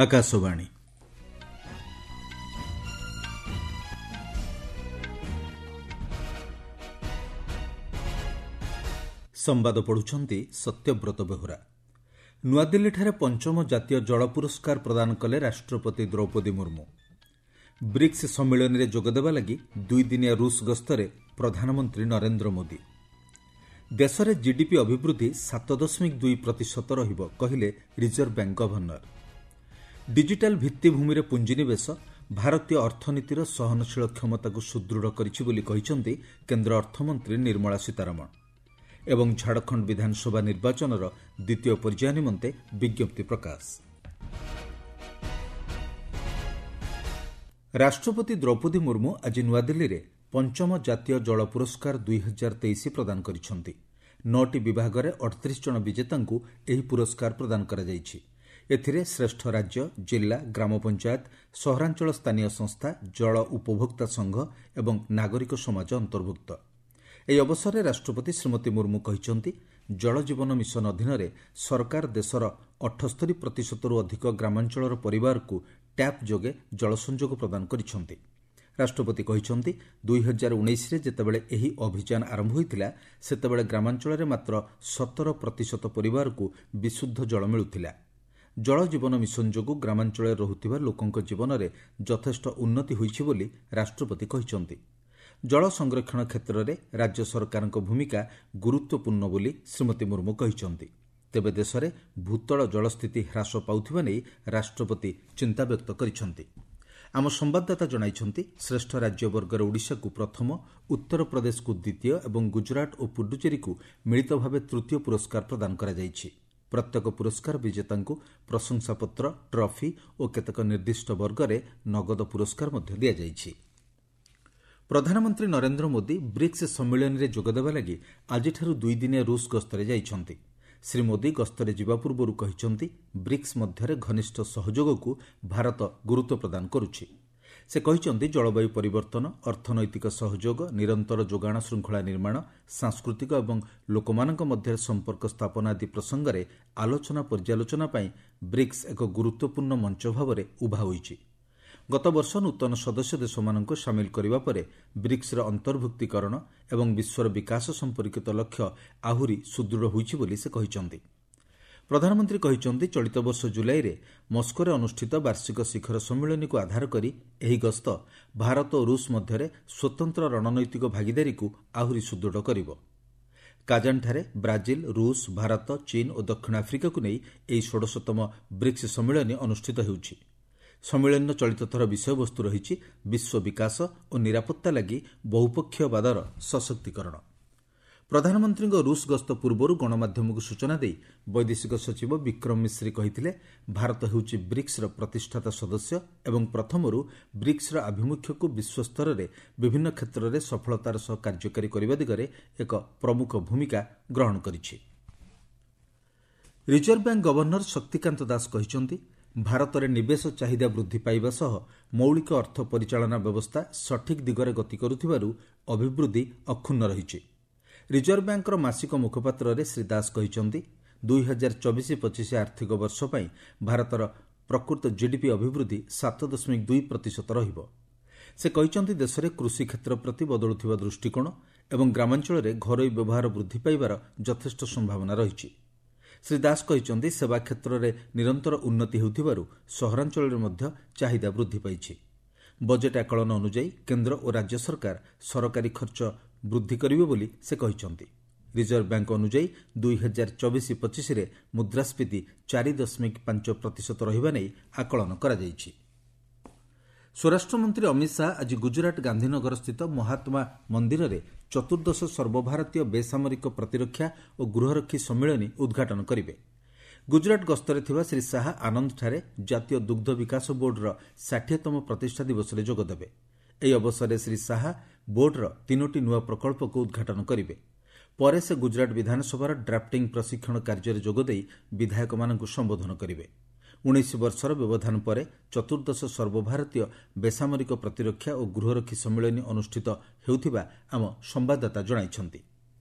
ଆକାଶବାଣୀ। ସମ୍ବାଦ ପଢ଼ୁଛନ୍ତି ସତ୍ୟବ୍ରତ ବେହୁରା। ନୂଆଦିଲ୍ଲୀଠାରେ ପଞ୍ଚମ ଜାତୀୟ ଜଳ ପୁରସ୍କାର ପ୍ରଦାନ କଲେ ରାଷ୍ଟ୍ରପତି ଦ୍ରୌପଦୀ ମୁର୍ମୁ। ବ୍ରିକ୍ସ ସମ୍ମିଳନୀରେ ଯୋଗଦେବା ଲାଗି ଦୁଇଦିନିଆ ରୁଷ ଗସ୍ତରେ ପ୍ରଧାନମନ୍ତ୍ରୀ ନରେନ୍ଦ୍ର ମୋଦି। ଦେଶରେ ଜିଡିପି ଅଭିବୃଦ୍ଧି 7.2% ରହିବ, କହିଲେ ରିଜର୍ଭ ବ୍ୟାଙ୍କ ଗଭର୍ଣ୍ଣର। ଡିଜିଟାଲ ଭିତ୍ତିଭୂମିରେ ପୁଞ୍ଜିନିବେଶ ଭାରତୀୟ ଅର୍ଥନୀତିର ସହନଶୀଳ କ୍ଷମତାକୁ ସୁଦୃଢ଼ କରିଛି ବୋଲି କହିଛନ୍ତି କେନ୍ଦ୍ର ଅର୍ଥମନ୍ତ୍ରୀ ନିର୍ମଳା ସୀତାରମଣ। ଏବଂ ଝାଡ଼ଖଣ୍ଡ ବିଧାନସଭା ନିର୍ବାଚନର ଦ୍ୱିତୀୟ ପର୍ଯ୍ୟାୟ ନିମନ୍ତେ ବିଜ୍ଞପ୍ତି ପ୍ରକାଶ। ରାଷ୍ଟ୍ରପତି ଦ୍ରୌପଦୀ ମୁର୍ମୁ ଆଜି ନୂଆଦିଲ୍ଲୀରେ ପଞ୍ଚମ ଜାତୀୟ ଜଳ ପୁରସ୍କାର 2023 ପ୍ରଦାନ କରିଛନ୍ତି। 9ଟି ବିଭାଗରେ 38 ଜଣ ବିଜେତାଙ୍କୁ ଏହି ପୁରସ୍କାର ପ୍ରଦାନ କରାଯାଇଛି। ଏଥିରେ ଶ୍ରେଷ୍ଠ ରାଜ୍ୟ, ଜିଲ୍ଲା, ଗ୍ରାମ ପଞ୍ଚାୟତ, ସହରାଞ୍ଚଳ ସ୍ଥାନୀୟ ସଂସ୍ଥା, ଜଳ ଉପଭୋକ୍ତା ସଂଘ ଏବଂ ନାଗରିକ ସମାଜ ଅନ୍ତର୍ଭୁକ୍ତ। ଏହି ଅବସରରେ ରାଷ୍ଟ୍ରପତି ଶ୍ରୀମତୀ ମୁର୍ମୁ କହିଛନ୍ତି, ଜଳ ଜୀବନ ମିଶନ ଅଧୀନରେ ସରକାର ଦେଶର 78%ରୁ ଅଧିକ ଗ୍ରାମାଞ୍ଚଳର ପରିବାରକୁ ଟ୍ୟାପ୍ ଯୋଗେ ଜଳ ସଂଯୋଗ ପ୍ରଦାନ କରିଛନ୍ତି। ରାଷ୍ଟ୍ରପତି କହିଛନ୍ତି, 2019ରେ ଯେତେବେଳେ ଏହି ଅଭିଯାନ ଆରମ୍ଭ ହୋଇଥିଲା, ସେତେବେଳେ ଗ୍ରାମାଞ୍ଚଳରେ ମାତ୍ର 17% ପରିବାରକୁ ବିଶୁଦ୍ଧ ଜଳ ମିଳୁଥିଲା। ଜଳ ଜୀବନ ମିଶନ ଯୋଗୁଁ ଗ୍ରାମାଞ୍ଚଳରେ ରହୁଥିବା ଲୋକଙ୍କ ଜୀବନରେ ଯଥେଷ୍ଟ ଉନ୍ନତି ହୋଇଛି ବୋଲି ରାଷ୍ଟ୍ରପତି କହିଛନ୍ତି। ଜଳ ସଂରକ୍ଷଣ କ୍ଷେତ୍ରରେ ରାଜ୍ୟ ସରକାରଙ୍କ ଭୂମିକା ଗୁରୁତ୍ୱପୂର୍ଣ୍ଣ ବୋଲି ଶ୍ରୀମତୀ ମୁର୍ମୁ କହିଛନ୍ତି। ତେବେ ଦେଶରେ ଭୂତଳ ଜଳସ୍ଥିତି ହ୍ରାସ ପାଉଥିବା ନେଇ ରାଷ୍ଟ୍ରପତି ଚିନ୍ତା ବ୍ୟକ୍ତ କରିଛନ୍ତି। ଆମ ସମ୍ବାଦଦାତା ଜଣାଇଛନ୍ତି, ଶ୍ରେଷ୍ଠ ରାଜ୍ୟ ବର୍ଗରେ ଓଡ଼ିଶାକୁ ପ୍ରଥମ, ଉତ୍ତରପ୍ରଦେଶକୁ ଦ୍ୱିତୀୟ ଏବଂ ଗୁଜରାଟ ଓ ପୁଡୁଚେରୀକୁ ମିଳିତ ଭାବେ ତୃତୀୟ ପୁରସ୍କାର ପ୍ରଦାନ କରାଯାଇଛି। ପ୍ରତ୍ୟେକ ପୁରସ୍କାର ବିଜେତାଙ୍କୁ ପ୍ରଶଂସାପତ୍ର, ଟ୍ରଫି ଓ କେତେକ ନିର୍ଦ୍ଦିଷ୍ଟ ବର୍ଗରେ ନଗଦ ପୁରସ୍କାର ମଧ୍ୟ ଦିଆଯାଇଛି। ପ୍ରଧାନମନ୍ତ୍ରୀ ନରେନ୍ଦ୍ର ମୋଦି ବ୍ରିକ୍ସ ସମ୍ମିଳନୀରେ ଯୋଗଦେବା ଲାଗି ଆଜିଠାରୁ ଦୁଇଦିନିଆ ରୁଷ ଗସ୍ତରେ ଯାଇଛନ୍ତି। ଶ୍ରୀ ମୋଦି ଗସ୍ତରେ ଯିବା ପୂର୍ବରୁ କହିଛନ୍ତି, ବ୍ରିକ୍ସ ମଧ୍ୟରେ ଘନିଷ୍ଠ ସହଯୋଗକୁ ଭାରତ ଗୁରୁତ୍ୱ ପ୍ରଦାନ କରୁଛି। ସେ କହିଛନ୍ତି, ଜଳବାୟୁ ପରିବର୍ତ୍ତନ, ଅର୍ଥନୈତିକ ସହଯୋଗ, ନିରନ୍ତର ଯୋଗାଣ ଶୃଙ୍ଖଳା ନିର୍ମାଣ, ସାଂସ୍କୃତିକ ଏବଂ ଲୋକମାନଙ୍କ ମଧ୍ୟରେ ସମ୍ପର୍କ ସ୍ଥାପନ ଆଦି ପ୍ରସଙ୍ଗରେ ଆଲୋଚନା ପର୍ଯ୍ୟାଲୋଚନା ପାଇଁ ବ୍ରିକ୍ସ ଏକ ଗୁରୁତ୍ୱପୂର୍ଣ୍ଣ ମଞ୍ଚ ଭାବରେ ଉଭା ହୋଇଛି। ଗତବର୍ଷ ନୂତନ ସଦସ୍ୟ ଦେଶମାନଙ୍କୁ ସାମିଲ କରିବା ପରେ ବ୍ରିକ୍ସର ଅନ୍ତର୍ଭୁକ୍ତୀକରଣ ଏବଂ ବିଶ୍ୱର ବିକାଶ ସମ୍ପର୍କିତ ଲକ୍ଷ୍ୟ ଆହୁରି ସୁଦୃଢ଼ ହୋଇଛି ବୋଲି ସେ କହିଛନ୍ତି। ପ୍ରଧାନମନ୍ତ୍ରୀ କହିଛନ୍ତି, ଚଳିତ ବର୍ଷ ଜୁଲାଇରେ ମସ୍କୋରେ ଅନୁଷ୍ଠିତ ବାର୍ଷିକ ଶିଖର ସମ୍ମିଳନୀକୁ ଆଧାର କରି ଏହି ଗସ୍ତ ଭାରତ ଓ ରୁଷ ମଧ୍ୟରେ ସ୍ୱତନ୍ତ୍ର ରଣନୈତିକ ଭାଗିଦାରୀକୁ ଆହୁରି ସୁଦୃଢ଼ କରିବ। କାଜାନଠାରେ ବ୍ରାଜିଲ, ରୁଷ, ଭାରତ, ଚୀନ ଓ ଦକ୍ଷିଣ ଆଫ୍ରିକାକୁ ନେଇ ଏହି 16ତମ ବ୍ରିକ୍ସ ସମ୍ମିଳନୀ ଅନୁଷ୍ଠିତ ହେଉଛି। ସମ୍ମିଳନୀର ଚଳିତ ଥର ବିଷୟବସ୍ତୁ ରହିଛି ବିଶ୍ୱ ବିକାଶ ଓ ନିରାପତ୍ତା ଲାଗି ବହୁପକ୍ଷୀୟବାଦର ସଶକ୍ତିକରଣ। ପ୍ରଧାନମନ୍ତ୍ରୀଙ୍କ ରୁଷ ଗସ୍ତ ପୂର୍ବରୁ ଗଣମାଧ୍ୟମକୁ ସୂଚନା ଦେଇ ବୈଦେଶିକ ସଚିବ ବିକ୍ରମ ମିଶ୍ରି କହିଥିଲେ, ଭାରତ ହେଉଛି ବ୍ରିକ୍ସର ପ୍ରତିଷ୍ଠାତା ସଦସ୍ୟ ଏବଂ ପ୍ରଥମରୁ ବ୍ରିକ୍ସର ଆଭିମୁଖ୍ୟକୁ ବିଶ୍ୱସ୍ତରରେ ବିଭିନ୍ନ କ୍ଷେତ୍ରରେ ସଫଳତାର ସହ କାର୍ଯ୍ୟକାରୀ କରିବା ଦିଗରେ ଏକ ପ୍ରମୁଖ ଭୂମିକା ଗ୍ରହଣ କରିଛି। Reserve bank governor Shaktikanta Das କହିଛନ୍ତି, ଭାରତରେ ନିବେଶ ଚାହିଦା ବୃଦ୍ଧି ପାଇବା ସହ ମୌଳିକ ଅର୍ଥ ପରିଚାଳନା ବ୍ୟବସ୍ଥା ସଠିକ୍ ଦିଗରେ ଗତି କରୁଥିବାରୁ ଅଭିବୃଦ୍ଧି ଅକ୍ଷୁଣ୍ଣ ରହିଛି। ରିଜର୍ଭ ବ୍ୟାଙ୍କର ମାସିକ ମୁଖପାତ୍ରରେ ଶ୍ରୀ ଦାସ କହିଛନ୍ତି, 2024-25 ଆର୍ଥିକ ବର୍ଷ ପାଇଁ ଭାରତର ପ୍ରକୃତ ଜିଡିପି ଅଭିବୃଦ୍ଧି 7.2% ରହିବ। ସେ କହିଛନ୍ତି, ଦେଶରେ କୃଷି କ୍ଷେତ୍ର ପ୍ରତି ବଦଳୁଥିବା ଦୃଷ୍ଟିକୋଣ ଏବଂ ଗ୍ରାମାଞ୍ଚଳରେ ଘରୋଇ ବ୍ୟବହାର ବୃଦ୍ଧି ପାଇବାର ଯଥେଷ୍ଟ ସମ୍ଭାବନା ରହିଛି। ଶ୍ରୀ ଦାସ କହିଛନ୍ତି, ସେବା କ୍ଷେତ୍ରରେ ନିରନ୍ତର ଉନ୍ନତି ହେଉଥିବାରୁ ସହରାଞ୍ଚଳରେ ମଧ୍ୟ ଚାହିଦା ବୃଦ୍ଧି ପାଇଛି। ବଜେଟ୍ ଆକଳନ ଅନୁଯାୟୀ କେନ୍ଦ୍ର ଓ ରାଜ୍ୟ ସରକାର ସରକାରୀ ଖର୍ଚ୍ଚ ବୃଦ୍ଧି କରିବେ ବୋଲି ସେ କହିଛନ୍ତି। ରିଜର୍ଭ ବ୍ୟାଙ୍କ ଅନୁଯାୟୀ 2024-25ରେ ମୁଦ୍ରାସ୍ଫୀତି 4.5% ରହିବା ନେଇ ଆକଳନ କରାଯାଇଛି। ସ୍ୱରାଷ୍ଟ୍ରମନ୍ତ୍ରୀ ଅମିତ ଶାହା ଆଜି ଗୁଜରାଟ ଗାନ୍ଧୀନଗରସ୍ଥିତ ମହାତ୍ମା ମନ୍ଦିରରେ ଚତୁର୍ଦ୍ଦଶ ସର୍ବଭାରତୀୟ ବେସାମରିକ ପ୍ରତିରକ୍ଷା ଓ ଗୃହରକ୍ଷୀ ସମ୍ମିଳନୀ ଉଦ୍ଘାଟନ କରିବେ। ଗୁଜରାଟ ଗସ୍ତରେ ଥିବା ଶ୍ରୀ ଶାହା ଆନନ୍ଦଠାରେ ଜାତୀୟ ଦୁଗ୍ଧ ବିକାଶ ବୋର୍ଡର 60ତମ ପ୍ରତିଷ୍ଠା ଦିବସରେ ଯୋଗଦେବେ। ଏହି ଅବସରରେ ଶ୍ରୀ ଶାହା ବୋର୍ଡର 3ଟି ନୂଆ ପ୍ରକଳ୍ପକୁ ଉଦ୍ଘାଟନ କରିବେ। ପରେ ସେ ଗୁଜରାଟ ବିଧାନସଭାର ଡ୍ରାଫ୍ଟିଂ ପ୍ରଶିକ୍ଷଣ କାର୍ଯ୍ୟରେ ଯୋଗଦେଇ ବିଧାୟକମାନଙ୍କୁ ସମ୍ବୋଧନ କରିବେ। 19 ବର୍ଷର ବ୍ୟବଧାନ ପରେ ଚତୁର୍ଦ୍ଦଶ ସର୍ବଭାରତୀୟ ବେସାମରିକ ପ୍ରତିରକ୍ଷା ଓ ଗୃହରକ୍ଷୀ ସମ୍ମିଳନୀ ଅନୁଷ୍ଠିତ ହେଉଥିବା ଆମ ସମ୍ବାଦଦାତା ଜଣାଇଛନ୍ତି।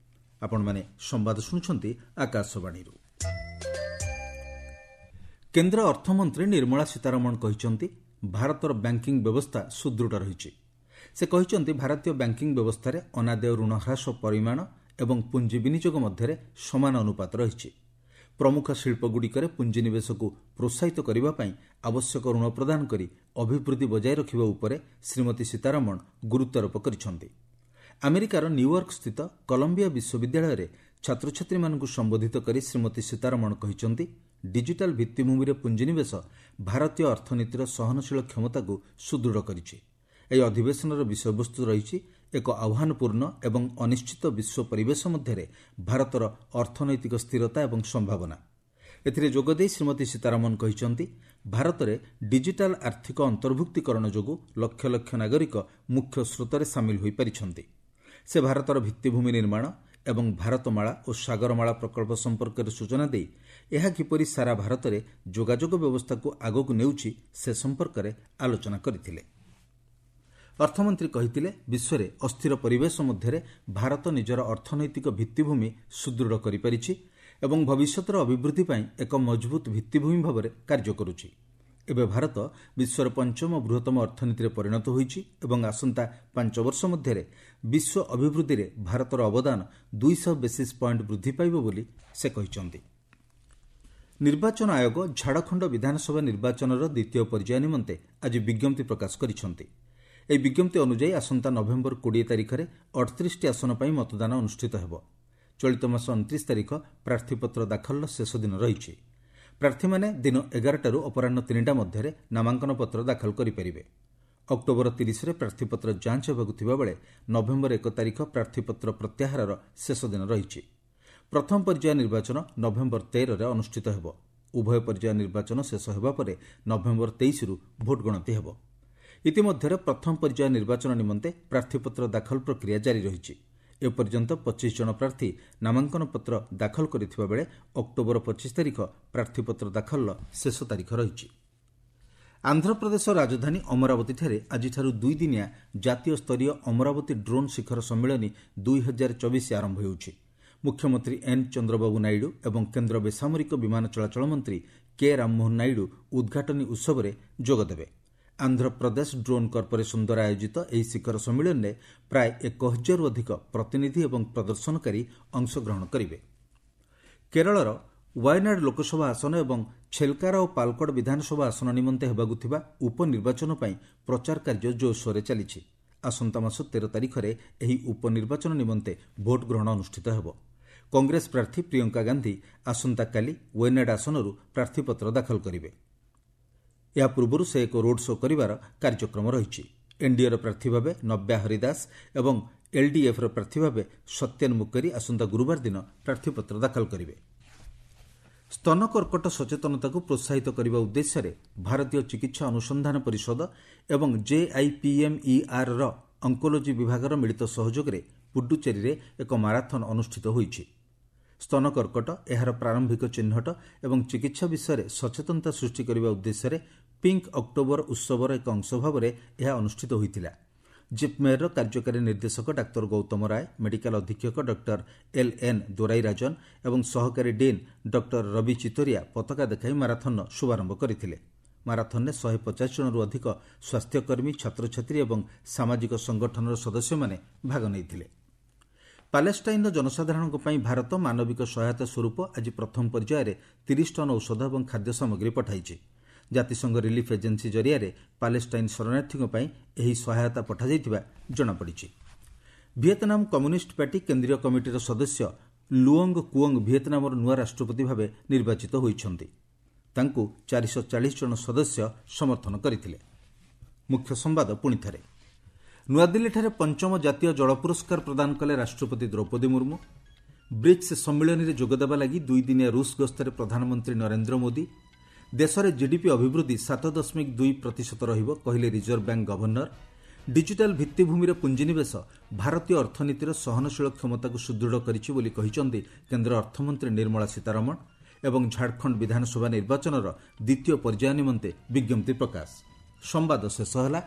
ଆପଣମାନେ ସମ୍ବାଦ ଶୁଣୁଛନ୍ତି ଆକାଶବାଣୀରୁ। କେନ୍ଦ୍ର ଅର୍ଥମନ୍ତ୍ରୀ ନିର୍ମଳା ସୀତାରମଣ କହିଛନ୍ତି, ଭାରତର ବ୍ୟାଙ୍କିଂ ବ୍ୟବସ୍ଥା ସୁଦୃଢ଼ ରହିଛି। ସେ କହିଛନ୍ତି, ଭାରତୀୟ ବ୍ୟାଙ୍କିଂ ବ୍ୟବସ୍ଥାରେ ଅନାଦେୟ ଋଣ ହ୍ରାସ ପରିମାଣ ଏବଂ ପୁଞ୍ଜି ବିନିଯୋଗ ମଧ୍ୟରେ ସମାନ ଅନୁପାତ ରହିଛି। ପ୍ରମୁଖ ଶିଳ୍ପଗୁଡ଼ିକରେ ପୁଞ୍ଜିନିବେଶକୁ ପ୍ରୋତ୍ସାହିତ କରିବା ପାଇଁ ଆବଶ୍ୟକ ଋଣ ପ୍ରଦାନ କରି ଅଭିବୃଦ୍ଧି ବଜାୟ ରଖିବା ଉପରେ ଶ୍ରୀମତୀ ସୀତାରମଣ ଗୁରୁତ୍ୱାରୋପ କରିଛନ୍ତି। ଆମେରିକାର ନ୍ୟୁୟର୍କସ୍ଥିତ କଲମ୍ବିଆ ବିଶ୍ୱବିଦ୍ୟାଳୟରେ ଛାତ୍ରଛାତ୍ରୀମାନଙ୍କୁ ସମ୍ବୋଧିତ କରି ଶ୍ରୀମତୀ ସୀତାରମଣ କହିଛନ୍ତି, ଡିଜିଟାଲ ଭିତ୍ତିଭୂମିରେ ପୁଞ୍ଜିନିବେଶ ଭାରତୀୟ ଅର୍ଥନୀତିର ସହନଶୀଳ କ୍ଷମତାକୁ ସୁଦୃଢ଼ କରିଛି। ଏହି ଅଧିବେଶନର ବିଷୟବସ୍ତୁ ରହିଛି ଏକ ଆହ୍ୱାନପୂର୍ଣ୍ଣ ଏବଂ ଅନିଶ୍ଚିତ ବିଶ୍ୱ ପରିବେଶ ମଧ୍ୟରେ ଭାରତର ଅର୍ଥନୈତିକ ସ୍ଥିରତା ଏବଂ ସମ୍ଭାବନା। ଏଥିରେ ଯୋଗଦେଇ ଶ୍ରୀମତୀ ସୀତାରମଣ କହିଛନ୍ତି, ଭାରତରେ ଡିଜିଟାଲ ଆର୍ଥିକ ଅନ୍ତର୍ଭୁକ୍ତୀକରଣ ଯୋଗୁଁ ଲକ୍ଷ ଲକ୍ଷ ନାଗରିକ ମୁଖ୍ୟ ସ୍ରୋତରେ ସାମିଲ ହୋଇପାରିଛନ୍ତି। ସେ ଭାରତର ଭିତ୍ତିଭୂମି ନିର୍ମାଣ ଏବଂ ଭାରତମାଳା ଓ ସାଗରମାଳା ପ୍ରକଳ୍ପ ସମ୍ପର୍କରେ ସୂଚନା ଦେଇ ଏହା କିପରି ସାରା ଭାରତରେ ଯୋଗାଯୋଗ ବ୍ୟବସ୍ଥାକୁ ଆଗକୁ ନେଉଛି ସେ ସମ୍ପର୍କରେ ଆଲୋଚନା କରିଥିଲେ। ଅର୍ଥମନ୍ତ୍ରୀ କହିଥିଲେ, ବିଶ୍ୱରେ ଅସ୍ଥିର ପରିବେଶ ମଧ୍ୟରେ ଭାରତ ନିଜର ଅର୍ଥନୈତିକ ଭିତ୍ତିଭୂମି ସୁଦୃଢ଼ କରିପାରିଛି ଏବଂ ଭବିଷ୍ୟତର ଅଭିବୃଦ୍ଧି ପାଇଁ ଏକ ମଜବୁତ ଭିତ୍ତିଭୂମି ଭାବରେ କାର୍ଯ୍ୟ କରୁଛି। ଏବେ ଭାରତ ବିଶ୍ୱର ପଞ୍ଚମ ବୃହତ୍ତମ ଅର୍ଥନୀତିରେ ପରିଣତ ହୋଇଛି ଏବଂ ଆସନ୍ତା 5 ବର୍ଷ ମଧ୍ୟରେ ବିଶ୍ୱ ଅଭିବୃଦ୍ଧିରେ ଭାରତର ଅବଦାନ 200 ବେସିସ୍ ପଏଣ୍ଟ ବୃଦ୍ଧି ପାଇବ ବୋଲି ସେ କହିଛନ୍ତି। ନିର୍ବାଚନ ଆୟୋଗ ଝାଡ଼ଖଣ୍ଡ ବିଧାନସଭା ନିର୍ବାଚନର ଦ୍ୱିତୀୟ ପର୍ଯ୍ୟାୟ ନିମନ୍ତେ ଆଜି ବିଜ୍ଞପ୍ତି ପ୍ରକାଶ କରିଛନ୍ତି। ଏହି ବିଜ୍ଞପ୍ତି ଅନୁଯାୟୀ ଆସନ୍ତା ନଭେମ୍ବର 20 ତାରିଖରେ 38ଟି ଆସନ ପାଇଁ ମତଦାନ ଅନୁଷ୍ଠିତ ହେବ। ଚଳିତ ମାସ 29 ତାରିଖ ପ୍ରାର୍ଥୀପତ୍ର ଦାଖଲର ଶେଷ ଦିନ ରହିଛି। ପ୍ରାର୍ଥୀମାନେ ଦିନ 11ଟାରୁ ଅପରାହ୍ନ 3ଟା ମଧ୍ୟରେ ନାମାଙ୍କନ ପତ୍ର ଦାଖଲ କରିପାରିବେ। ଅକ୍ଟୋବର 30ରେ ପ୍ରାର୍ଥୀପତ୍ର ଯାଞ୍ଚ ହେବାକୁ ଥିବାବେଳେ ନଭେମ୍ବର 1 ତାରିଖ ପ୍ରାର୍ଥୀପତ୍ର ପ୍ରତ୍ୟାହାରର ଶେଷ ଦିନ ରହିଛି। ପ୍ରଥମ ପର୍ଯ୍ୟାୟ ନିର୍ବାଚନ ନଭେମ୍ବର 13ରେ ଅନୁଷ୍ଠିତ ହେବ। ଉଭୟ ପର୍ଯ୍ୟାୟ ନିର୍ବାଚନ ଶେଷ ହେବା ପରେ ନଭେମ୍ବର 23ରୁ ଭୋଟ ଗଣତି ହେବ। ଇତିମଧ୍ୟରେ ପ୍ରଥମ ପର୍ଯ୍ୟାୟ ନିର୍ବାଚନ ନିମନ୍ତେ ପ୍ରାର୍ଥୀପତ୍ର ଦାଖଲ ପ୍ରକ୍ରିୟା ଜାରି ରହିଛି। ଏପର୍ଯ୍ୟନ୍ତ 25 ଜଣ ପ୍ରାର୍ଥୀ ନାମାଙ୍କନ ପତ୍ର ଦାଖଲ କରିଥିବା ବେଳେ ଅକ୍ଟୋବର 25 ତାରିଖ ପ୍ରାର୍ଥୀପତ୍ର ଦାଖଲର ଶେଷ ତାରିଖ ରହିଛି। ଆନ୍ଧ୍ରପ୍ରଦେଶ ରାଜଧାନୀ ଅମରାବତୀଠାରେ ଆଜିଠାରୁ ଦୁଇଦିନିଆ ଜାତୀୟ ସ୍ତରୀୟ ଅମରାବତୀ ଡ୍ରୋନ୍ ଶିଖର ସମ୍ମିଳନୀ 2024 ଆରମ୍ଭ ହେଉଛି। ମୁଖ୍ୟମନ୍ତ୍ରୀ ଏନ୍ ଚନ୍ଦ୍ରବାବୁ ନାଇଡୁ ଏବଂ କେନ୍ଦ୍ର ବେସାମରିକ ବିମାନ ଚଳାଚଳ ମନ୍ତ୍ରୀ କେ ରାମମୋହନ ନାଇଡୁ ଉଦ୍ଘାଟନୀ ଉତ୍ସବରେ ଯୋଗଦେବେ। ଆନ୍ଧ୍ରପ୍ରଦେଶ ଡ୍ରୋନ୍ କର୍ପୋରେସନ ଦ୍ୱାରା ଆୟୋଜିତ ଏହି ଶିଖର ସମ୍ମିଳନୀରେ ପ୍ରାୟ 1000ରୁ ଅଧିକ ପ୍ରତିନିଧି ଏବଂ ପ୍ରଦର୍ଶନକାରୀ ଅଂଶଗ୍ରହଣ କରିବେ। କେରଳର ୱାୟନାଡ ଲୋକସଭା ଆସନ ଏବଂ ଛେଲକାରା ଓ ପାଲକଡ଼ ବିଧାନସଭା ଆସନ ନିମନ୍ତେ ହେବାକୁ ଥିବା ଉପନିର୍ବାଚନ ପାଇଁ ପ୍ରଚାର କାର୍ଯ୍ୟ ଜୋରସୋରରେ ଚାଲିଛି। ଆସନ୍ତା ମାସ 13 ତାରିଖରେ ଏହି ଉପନିର୍ବାଚନ ନିମନ୍ତେ ଭୋଟ ଗ୍ରହଣ ଅନୁଷ୍ଠିତ ହେବ। କଂଗ୍ରେସ ପ୍ରାର୍ଥୀ ପ୍ରିୟଙ୍କା ଗାନ୍ଧୀ ଆସନ୍ତାକାଲି ୱାୟନାଡ ଆସନରୁ ପ୍ରାର୍ଥୀପତ୍ର ଦାଖଲ କରିବେ। ଏହା ପୂର୍ବରୁ ସେ ଏକ ରୋଡ୍ ଶୋ କରିବାର କାର୍ଯ୍ୟକ୍ରମ ରହିଛି। ଏନ୍ଡିଏର ପ୍ରାର୍ଥୀ ଭାବେ ନବ୍ୟା ହରିଦାସ ଏବଂ ଏଲ୍ଡିଏଫ୍ର ପ୍ରାର୍ଥୀ ଭାବେ ସତ୍ୟନ ମୁକେରୀ ଆସନ୍ତା ଗୁରୁବାର ଦିନ ପ୍ରାର୍ଥୀପତ୍ର ଦାଖଲ କରିବେ। ସ୍ତନ କର୍କଟ ସଚେତନତାକୁ ପ୍ରୋତ୍ସାହିତ କରିବା ଉଦ୍ଦେଶ୍ୟରେ ଭାରତୀୟ ଚିକିତ୍ସା ଅନୁସନ୍ଧାନ ପରିଷଦ ଏବଂ ଜେଆଇପିଏମ୍ଇଆର୍ର ଅଙ୍କୋଲୋଜି ବିଭାଗର ମିଳିତ ସହଯୋଗରେ ପୁଡୁଚେରୀରେ ଏକ ମାରାଥନ୍ ଅନୁଷ୍ଠିତ ହୋଇଛି। ସ୍ତନ କର୍କଟ, ଏହାର ପ୍ରାରମ୍ଭିକ ଚିହ୍ନଟ ଏବଂ ଚିକିତ୍ସା ବିଷୟରେ ସଚେତନତା ସୃଷ୍ଟି କରିବା ଉଦ୍ଦେଶ୍ୟରେ ପିଙ୍କ ଅକ୍ଟୋବର ଉତ୍ସବର ଏକ ଅଂଶ ଭାବରେ ଏହା ଅନୁଷ୍ଠିତ ହୋଇଥିଲା। ଜିପ୍ମେର୍ର କାର୍ଯ୍ୟକାରୀ ନିର୍ଦ୍ଦେଶକ ଡାକ୍ତର ଗୌତମ ରାୟ, ମେଡିକାଲ ଅଧୀକ୍ଷକ ଡକ୍ଟର ଏଲ୍ ଏନ୍ ଦୋରାଇରାଜନ ଏବଂ ସହକାରୀ ଡିନ୍ ଡକ୍ଟର ରବି ଚିତୋରିଆ ପତାକା ଦେଖାଇ ମାରାଥନ୍ର ଶୁଭାରମ୍ଭ କରିଥିଲେ। ମାରାଥନ୍ରେ 150 ଜଣରୁ ଅଧିକ ସ୍ୱାସ୍ଥ୍ୟକର୍ମୀ, ଛାତ୍ରଛାତ୍ରୀ ଏବଂ ସାମାଜିକ ସଂଗଠନର ସଦସ୍ୟମାନେ ଭାଗ ନେଇଥିଲେ। ପାଲେଷ୍ଟାଇନ୍ର ଜନସାଧାରଣଙ୍କ ପାଇଁ ଭାରତ ମାନବିକ ସହାୟତା ସ୍ୱରୂପ ଆଜି ପ୍ରଥମ ପର୍ଯ୍ୟାୟରେ 30 ଟନ୍ ଔଷଧ ଏବଂ ଖାଦ୍ୟ ସାମଗ୍ରୀ ପଠାଇଛି। ଜାତିସଂଘ ରିଲିଫ୍ ଏଜେନ୍ସି ଜରିଆରେ ପାଲେଷ୍ଟାଇନ୍ ଶରଣାର୍ଥୀଙ୍କ ପାଇଁ ଏହି ସହାୟତା ପଠାଯାଇଥିବା ଜଣାପଡ଼ିଛି। ଭିଏତନାମ କମ୍ୟୁନିଷ୍ଟ ପାର୍ଟି କେନ୍ଦ୍ରୀୟ କମିଟିର ସଦସ୍ୟ ଲୁଓଙ୍ଗ କୁଓଙ୍ଗ ଭିଏତନାମର ନୂଆ ରାଷ୍ଟ୍ରପତି ଭାବେ ନିର୍ବାଚିତ ହୋଇଛନ୍ତି। ତାଙ୍କୁ 440 ଜଣ ସଦସ୍ୟ ସମର୍ଥନ କରିଥିଲେ। ମୁଖ୍ୟ ସମ୍ବାଦ ପୁଣିଥରେ। ନୂଆଦିଲ୍ଲୀଠାରେ ପଞ୍ଚମ ଜାତୀୟ ଜଳ ପୁରସ୍କାର ପ୍ରଦାନ କଲେ ରାଷ୍ଟ୍ରପତି ଦ୍ରୌପଦୀ ମୁର୍ମୁ। ବ୍ରିକ୍ସ ସମ୍ମିଳନୀରେ ଯୋଗଦେବା ଲାଗି ଦୁଇଦିନିଆ ରୁଷ ଗସ୍ତରେ ପ୍ରଧାନମନ୍ତ୍ରୀ ନରେନ୍ଦ୍ର ମୋଦି। ଦେଶରେ ଜିଡିପି ଅଭିବୃଦ୍ଧି 7.2% ରହିବ କହିଲେ ରିଜର୍ଭ ବ୍ୟାଙ୍କ ଗଭର୍ଣ୍ଣର। ଡିଜିଟାଲ ଭିତ୍ତିଭୂମିରେ ପୁଞ୍ଜିନିବେଶ ଭାରତୀୟ ଅର୍ଥନୀତିର ସହନଶୀଳ କ୍ଷମତାକୁ ସୁଦୃଢ଼ କରିଛି ବୋଲି କହିଛନ୍ତି କେନ୍ଦ୍ର ଅର୍ଥମନ୍ତ୍ରୀ ନିର୍ମଳା ସୀତାରମଣ। ଏବଂ ଝାଡ଼ଖଣ୍ଡ ବିଧାନସଭା ନିର୍ବାଚନର ଦ୍ୱିତୀୟ ପର୍ଯ୍ୟାୟ ନିମନ୍ତେ ବିଜ୍ଞପ୍ତି ପ୍ରକାଶ। ସମ୍ବାଦ ଶେଷ ହେଲା।